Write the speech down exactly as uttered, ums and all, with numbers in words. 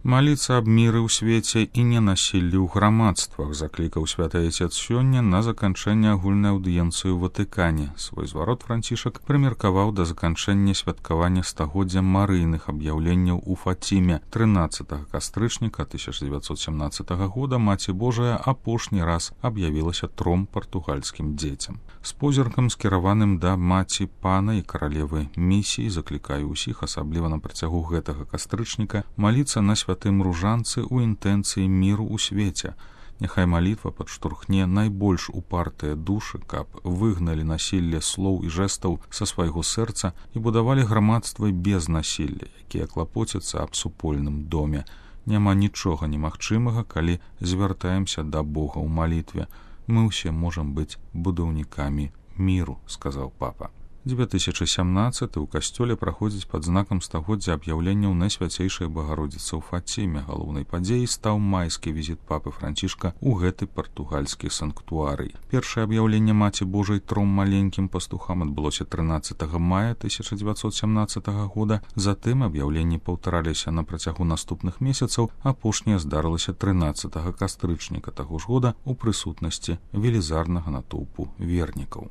Маліцца аб міры ў свеце і ненасіллі ў грамадствах, заклікаў святы Айцец сёння на заканчэнне агульнай аўдыенцыі ў Ватыкане. Свой зварот Францішак прымеркаваў да заканчэння святкавання стагоддзя марыйных аб'яўленняў у Фаціме. трынаццатага кастрычніка тысяча дзевяцьсот сямнаццатага года Маці Божая апошні раз аб'явілася тром партугальскім дзецям. З позіркам, скіраваным да маці пана і каралевы місіі, заклікаю ўсіх, асабліва на працягу гэтага кастрычніка, маліцца на святым ружанцы ў інтэнцыі міру ў свеце. Няхай малітва падштурхне найбольш упартыя душы, каб выгналі насілле слоў і жэстаў са свайго сэрца і будавалі грамадствы без насілля, якія клапоцяцца аб супольным доме. Няма нічога немагчымага, калі звяртаемся да Бога ў малітве. Мы ўсе можам быць будаўнікамі міру, сказаў папа. дзве тысячы сямнаццаты ў касцёле праходзіць пад знакам стагоддзя аб'яўленняў Найсвяцейшай Багародзіцы ў Фаціме. Галоўнай падзеяй стаў майскі візіт папы Францішка ў гэты партугальскі санктуарый. Першае аб'яўленне Маці Божай тром маленькім пастухам адбылося трынаццатага мая тысяча дзевяцьсот сямнаццатага года. Затым аб'яўленні паўтараліся на працягу наступных месяцаў. Апошняе здарылася трынаццатага кастрычніка таго ж года ў прысутнасці велізарнага натоўпу вернікаў.